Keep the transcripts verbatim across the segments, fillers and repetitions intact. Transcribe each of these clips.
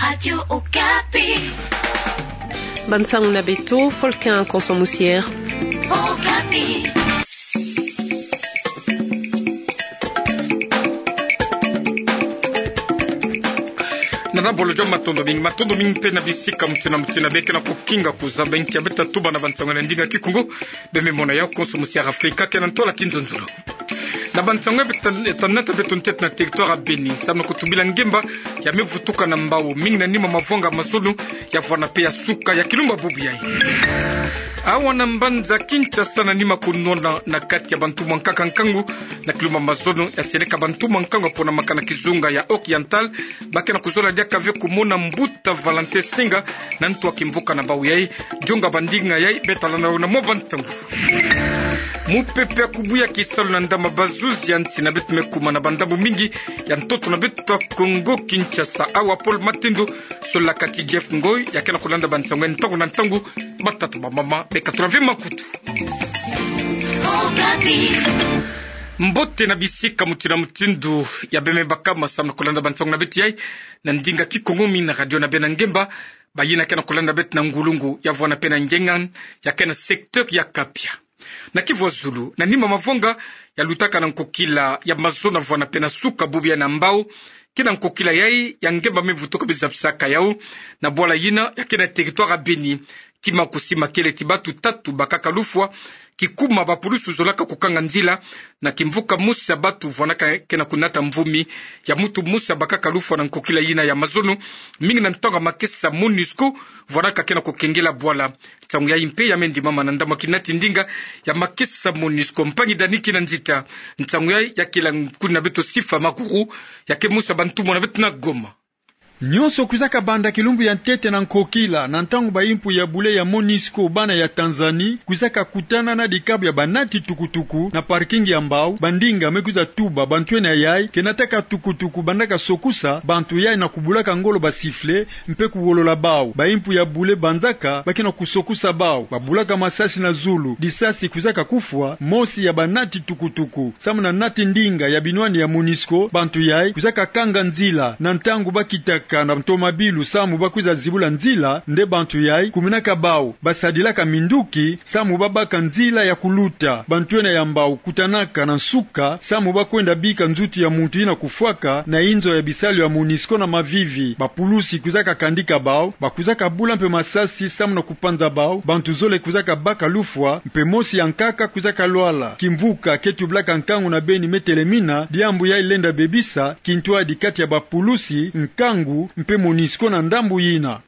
Radio Okapi. Bansango na beto, Folkin Konso Musier. Okapi. Na nabolo joma, matondo mingi, matondo mingi mpe na bisika mutindu na mutindu bie kena kukinga kuzaba inki ya beta tuba na bansango na ndinga Kikongo. Bie me mona yau Konso Musier Afrika kena ntola kinzonzolo. Na bansango ya beta, ya tanata beto ntete na territoire ya Beni, samu na kutubila ngemba ya me vutuka na mbau, mingi na nima mavwanga mazono, ya vwana mpe ya suka ya kilumbu bubu yai. Awa na mbanza Kinshasa, na nima kunwana na kati ya bantumwa nkaka nkangu na kilumbu mazono, ya seleka bantumwa nkangu ya ponamaka na kizunga ya Oriental, ba kena kuzola diaka ve kumona mbuta Valentin Senga na ntu ya kimvuka na bau yai. Dionga ba ndinga yai, beta landa yo na mwa bantangu. Mupepe ya kubuya kisalu na ndama bazuzi ya nsi na beto me kuma na bandambu mingi ya ntoto na beto Kongo Kinshasa. Awa Paul Matendo, solaka ti Jeff Ngoi, ya kena kulanda bansango ntangu na ntangu. Batata, bamama, beka tula ve makutu. Mbote na bisika mutindu na mutindu ya bie me bakama samu na kulanda bansango na beto yai na ndinga Kikongo mingi na radio na bie na ngemba. Bayina kena kulanda beto na ngulungu, ya vwana mpe na ngengan, ya kena secteur ya Kapia. Na Kivu ya zulu, na nima mavwanga ya lutaka na nkokila ya mazono, vwana mpe na suka bubu yai na mbau, kina nkokila yai ya ngemba me vutuka bie zabisaka yau na bwala yina ya kena territoire ya Beni. Kima kusima kele ti batu tatu bakaka lufwa, kikuma bapulusu zolaka kukanga nzila, na kimvuka mosi ya batu vwanaka kena kunata mvumi ya muntu mosi bakaka lufwa na nkokila yina ya mazono, mingi na ntangu ya makesa MONUSCO vwanaka kena kukengela bwala. Nsangu yai mpe ya me ndimama na ndambu ya kinati ndinga ya makesa MONUSCO, mpangi Dani Kinanzita. Nsangu yai ya kila nkuni na beto Sifa Makuru, ya ke mosi ya bantumwa na beto na Goma. Nyonso kwizaka banda kilumbu ya ntete na nkokila, na ntangu ba impu ya bule ya MONUSCO bana ya Tanzanie kwizaka kutana na dikabu ya banati tukutuku na parking ya mbau, ba ndinga me kwiza tuba bantu ena yai ke nataka tukutuku bandaka sokusa bantu yai na kubulaka ngolo ba sifflet mpe kuwolola bau. Ba impu ya bule banzaka ba kena kusokusa bau, babulaka masasi na zulu, disasi kwizaka kufwa mosi ya banati tukutuku. Samu na nati ndinga ya binwani ya MONUSCO, bantu yai kwizaka kanga nzila. Na ntangu bakitaka na ntomabilu samu bakwiza zibula nzila, nde bantu yai kuminaka bau, basadilaka minduki samu babaka nzila ya kuluta. Bantu ena ya mbau kutanaka na nsuka samu bakwenda bika nzutu ya muntu yina kufwaka na inzo ya bisalu ya MONUSCO na mavivi. Bapulusi kwizaka kandika bau, bakwizaka bula mpe masasi samu na kupanza bau. Bantu zole kwizaka baka lufwa, mpe mosi ya nkaka kwizaka lwala. Kimvuka ke tubilaka nkangu na Beni me telemina, diambu yai lenda bebisa kintwadi kati ya bapulusi nkangu mpe MONUSCO na ndambu yina.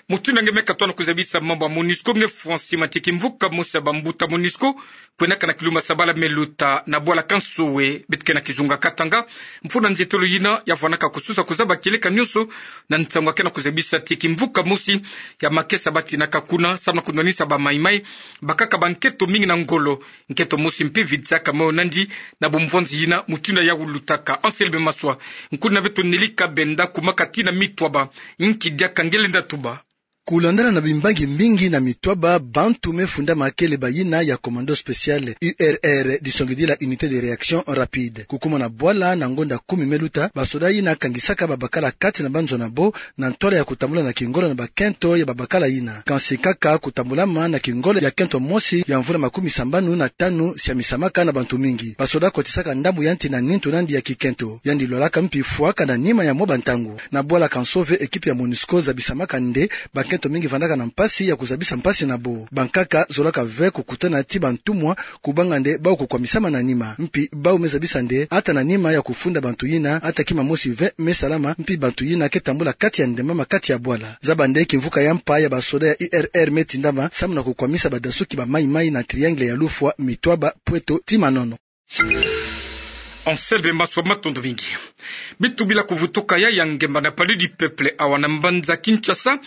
Mutindu nge me katona kuzabisa mambu ya MONUSCO, me fwa nsi ma ti kimvuka mosi ya bambuta MONUSCO kwendaka na kilumbu ya sabala me luta na bwala Kansoe, beto ke na kizunga Katanga. Mfunu na nzietolo yina ya vwanaka kususa kuzaba kieleka nyonso na nsangu ya kena kuzabisa ti kimvuka mosi ya makesa batinaka kuna samu na kunwanisa ba Mai-Mai bakaka bankento mingi na ngolo. Nkento mosi mpe vidisaka moyo nandi na bumvwanzi yina mutindu yau lutaka. Anselme Maswa, nkuni na beto Nelly Kabenda, kumaka tina Mitwaba. Nki diaka nge lenda tuba? Kulandana na bimbangi mingi na Mitwaba, bantu me fundama kele bayina ya Commando Spécial, U R R, disongidila Unité de Réaction Rapide. Kukuma na bwala na ngonda kumi me luta, basoda yina kangisaka babakala kati na banzo na bo, na ntwala ya kutambula na kingolo na bakento ya babakala yina. Kansi kaka kutambulama na kingolo ya kento mosi ya mvula makumi sambanu na tanu siamisamaka na bantu mingi. Basoda kotisaka ndambu ya nti na nintu nandi ya kikento. Yandi lwalaka mpi fwaka na nima ya mwa bantangu. Na bwala Kansoe, ekipe ya MONUSCO zabisamaka nde bankento mingi vandaka na mpasi ya kuzabisa mpasi na bo. Bankaka zolaka ve kukutana ti bantumwa, kubanga nde bau kukwamisama na nima. Mpi bau me zabisa nde ata na nima ya kufunda bantu yina, ata kima mosi ve me salama, mpi bantu yina ke tambula kati ya ndembama kati ya bwala. Zaba nde kimvuka ya mpa ya basoda ya U R R me tindama samu na kukwamisa badasuki ba Mai-Mai na triangle ya lufwa Mitwaba, Pweto ti Manono. Anselme Maswa, matondo mingi. Bitubila kuvutuka ya ya ngemba na Palais du Peuple awa na mbanza Kinshasa,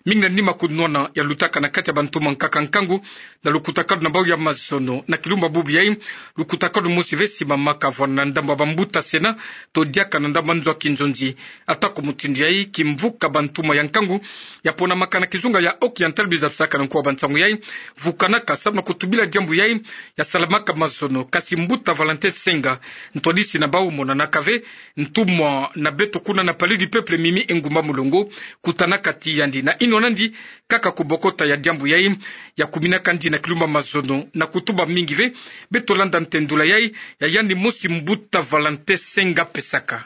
Mingi na nima kunwana ya lutaka na kati ya bantuma nkaka nkangu na lukutakanu na bau ya mazono na kilumba bubu yai. Lukutakanu mosi ve simamaka vwana na ndambu ya bambuta Sénat to diaka na ndambu ya nzo ya kinzonzi. Atako mutindu yai, kimvuka bantuma ya nkangu ya ponamaka na kizunga ya Oriental, biza bisaka na nko wa bansangu yai, vukanaka samu na kutubila diambu yai ya salamaka mazono. Kasi mbuta Valentin Senga, ntwadisi na bau, monanaka ve ntumwa na beto kuna na Palais du Peuple, Mimi Engumba Mulongo, kutanaka ti yandi na inwa nandi kaka kubokota ya diambu yai ya kuminaka ndi na kilumba mazono na kutuba mingi ve. Beto landa ntendula yai ya yandi mosi mbuta Valentin Senga pesaka.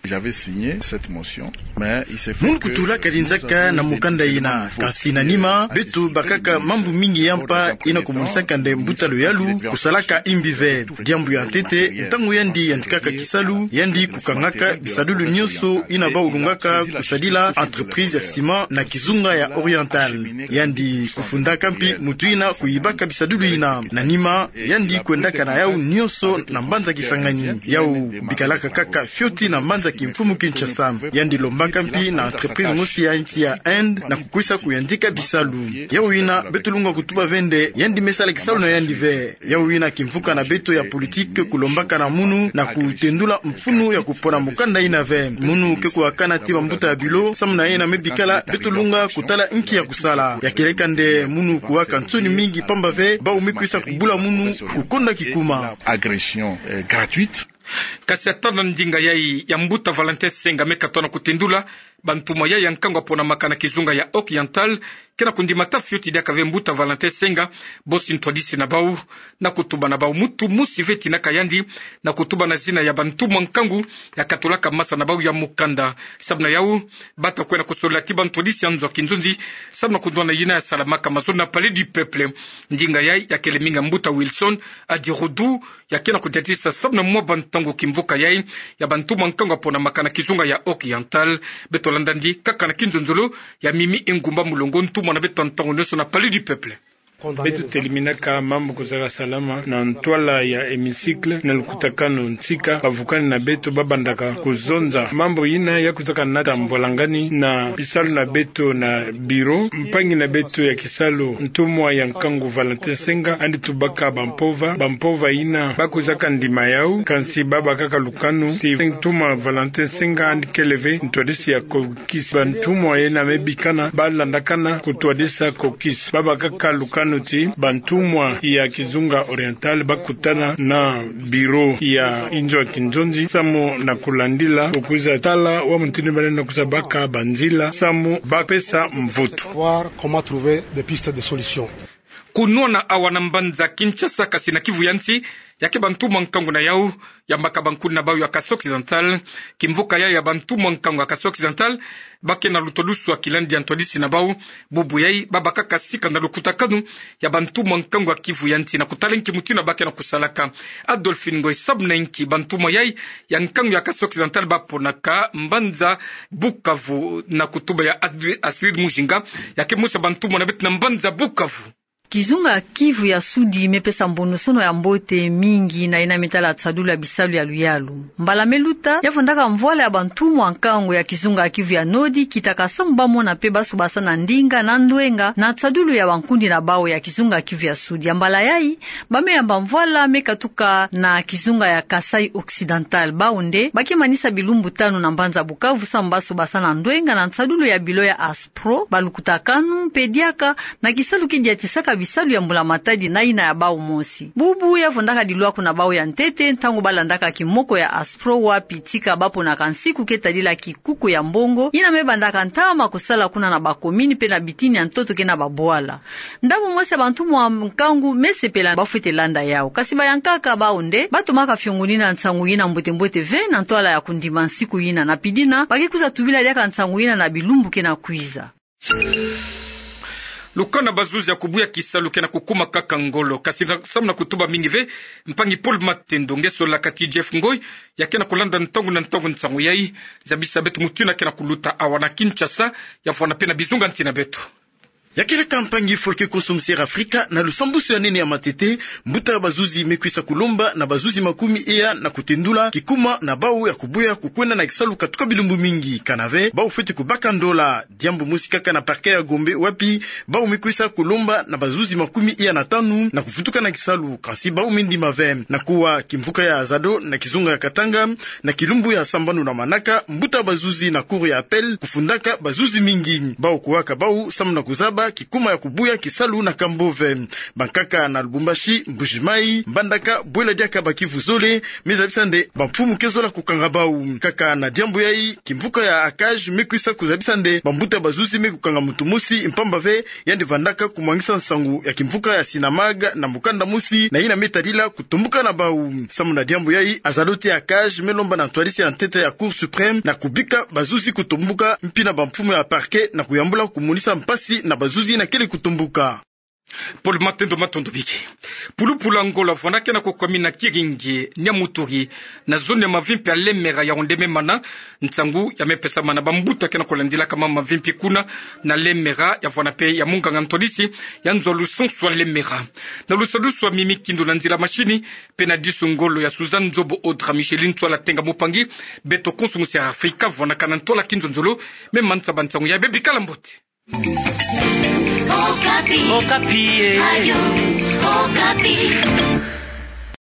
J'avais signé cette motion, mais il s'est fait que... Munu kutulaka di nzaka na mukanda ina, kasi na nima beto bakaka mambu mingi ya mpa ina kumonisaka nde mbuta luyalu kusalaka imbi ve. Diambu ya ntete, ntangu yandi yantikaka kisalu, yandi kukangaka bisadulu nionso ina bau lungaka kusadila entreprise ya ciment na kizunga ya Oriental. Yandi kufundaka mpi mutu ina kuyibaka bisadulu ina. Na nima, yandi kwendaka na yau nionso na mbanza Kisangani. Yau bikalaka kaka fioti na mbanza kimfumu Kinshasa. Yandi lombaka mpi na entreprise mosi ya nsi ya Inde na kukwisa kuyantika bisalu. Yau ina beto lunga kutuba ve nde yandi me sala kisalu na yandi ve. Yau ina kimvuka na beto ya politique kulombaka na munu na kutendula mfunu ya kupona mukanda ina ve. Munu ke kuwakana ti bambuta ya bureau samu na yina me bikala, beto lunga kutala nki ya kusala. Ya kieleka nde munu kuwaka nsoni mingi, pamba ve bau me kwisa kubula munu kukonda kikuma. Agression, euh, gratuite. Kasi ata na ndinga yai ya mbuta Valentin Senga me katona kutendula, bantuma yai ya nkangu ya ponamaka na kizunga ya Oriental ke na kundimata fioti diaka ve mbuta Valentin Senga, bosi ntwadisi na bau, na kutuba na bau. Mutu mosi ve tinaka yandi na kutuba na zina ya bantuma nkangu ya katulaka masa na bau ya mukanda. Samu na yau, bata kwenda kusolila ti bantwadisi ya nzo ya kinzonzi samu na kunwana yina ya salamaka mazono na Palais du Peuple. Ndinga yai ya kele mingi ya mbuta Wilson Adirodu, ya ke na kudiatisa samu na mwa bantangu kimvuka yai ya bantuma nkangu ya ponamaka na kizunga ya Oriental. Beto landa ndi kaka na kinzonzolo ya Mimi Engumba Mulongo, ntumwa na beto ntangu nionso na Palais du Peuple. Beto teliminaka mambu kuzaka salama na ntwala ya hémicycle na lukutakanu, nsika bavukani na beto babandaka kuzonza mambu yina ya kuzaka nata mvwalangani na bisalu na beto na bureau. Mpangi na beto ya kisalu, ntumwa ya nkangu Valentin Senga, yandi tubaka bampova, bampova yina ba kwizaka ndima yau, kansi babakaka lukanu ti ntumwa Valentin Senga yandi kele ve ntwadisi ya caucus. Bantumwa yina me bikana, balandakana kutwadisa caucus. Babakaka lukanu ti bantumwa ya kizunga Oriental bakutana na bureau ya nzo ya kinzonzi samu na kulandila, kwiza tala wa mutindu ba lenda kwiza baka banzila samu bapesa mvutu. Voir comment trouver des pistes de solution. Kunwana awa na mbanza Kinshasa, kasi na Kivu ya nsi, ya ke bantuma nkangu na yau ya makabankuni na bau ya Kasaï Occidental. Kimvuka yai ya bantuma nkangu ya Kasaï Occidental, ba ke na lutwadusu ya kilandi ya ntwadisi na bau. Bubu yai, babakaka sika na lukutakanu ya bantuma nkangu ya Kivu ya nsi na kutala nki mutindu ba ke na kusalaka. Adolphine Ngoy, samu na nki bantuma yai ya nkangu ya Kasaï Occidental baponaka mbanza Bukavu? Na kutuba ya Astrid, Astrid Mujinga, ya ke mosi ya bantumwa na beto na mbanza Bukavu. Kizunga Kivu ya Sudi me pesa mbonosono ya mbote mingi na yina me tala tsadulu ya bisalu ya luyalu. Mbala me luta, ya vandaka mvwala ya bantumwa nkangu ya kizunga Kivu ya Nodi, kitaka samu ba mona mpe basu basa na ndinga na ndwenga na tsadulu ya bankundi na bau ya kizunga Kivu ya Sudi. Ya mbala yai, ba me yamba mvwala me katuka na kizunga ya Kasaï Occidental. Bau nde ba ke manisa bilumbu tanu na mbanza Bukavu samu basu basa na ndwenga na tsadulu ya bilo ya ASPRO, balukutakanu mpe diaka na kisalu ki diatisaka bisalu ya mbula matadi na yina ya bau mosi. Bubu ya vandaka dilwaku na bau ya ntete ntangu ba landaka kimoko ya ASPRO, wapi tika ba ponaka nsiku ke tadila kikuku ya mbongo yina me bandaka ntama kusala kuna na bakomini mpe na bitini ya ntoto ke na babwala. Ndambu mosi ya bantumwa nkangu me sepela, ba fwete landa yau. Kasi bayankaka bau nde ba tomaka fiongonina nsangu yina mbote-mbote ve na ntwala ya kundima nsiku yina, na pidina ba ke kwiza tubila diaka nsangu yina na bilumbu ke na kwiza. Lukanu ya bazuzi ya kubuya kisalu ke na kukuma kaka ngolo. Kasi na, samu na kutuba mingi ve, mpangi Paul Matendo, nge solaka ti Jeff Ngoy, ya ke na kulanda ntangu na ntangu nsangu yai. Zabisa beto mutindu yina ke na kuluta awa na Kinshasa, ya fwana mpe na bizunga nsi na beto. Ya keleka mpangi Folke Konso Musiere Afrika, na lusambusu ya nene ya matete, mbuta ya bazuzi me kwisa kulomba na bazuzi makumi eya na kutendula kikuma na bau ya kubuya kukwenda na kisalu katuka bilumbu mingi. Kana ve, bau fweti kubaka ndola. Diambu mosi kaka na parquet ya Gombe, wapi bau me kwisa kulomba na bazuzi makumi eya na tanu na kuvutuka na kisalu, kansi bau me ndima ve. Na kuwa kimvuka ya Azado na kizunga ya Katanga, na kilumbu ya sambanu na manaka, mbuta bazuzi na cour ya appel kufundaka bazuzi mingi. Bau kuwaka bau samu na kuzaba kikuma ya kubuya kisalu na kambo ve. Bankaka na Lubumbashi, Mbuji-Mayi, Mbandaka, bwela diaka ba Kivu zole me zabisa nde bamfumu ke zola kukanga bau. Kaka na diambu yayi, kimvuka ya ACAJ me kwisa kuzabisa nde bambuta bazuzi me kukanga muntu mosi mpamba ve, yandi vandaka kumwangisa nsangu ya kimvuka ya Sinamag na mukanda mosi na yina me tadila kutombuka na bau. Samu na diambu yayi, Azado ti ACAJ me lomba na ntwadisi ya ntete ya Cour suprême na kubika bazuzi kutombuka, mpi na bamfumu ya parquet na kuyambula kumonisa mpasi na bazuzi yina kele kutombuka. Paul Matendo, matondo bike. Pulupulu ya ngolo avwanakena ko commune ya Kiringi, Niamuturi, na zone ya mavimpi ya Lemera, ya onde me mana nsangu ya me pesamana bambuta kena ko landilaka mama mavimpi kuna na Lemera, ya vwana pe ya munganga ntwadisi ya nzo ya lusansu ya Lemera. Na lusadusu ya mimi kindo na nzila mashini, pe na disu ngolo ya Suzanne Nzobo Audra Micheline Ntwala Tenga Mupangi, beto Konso Musiere Afrika, vwanakana ntwala kinzonzolo. Me mansa ba nsangu ya bebi, kala mbote. Okapi. Okapi, eh. Radio Okapi.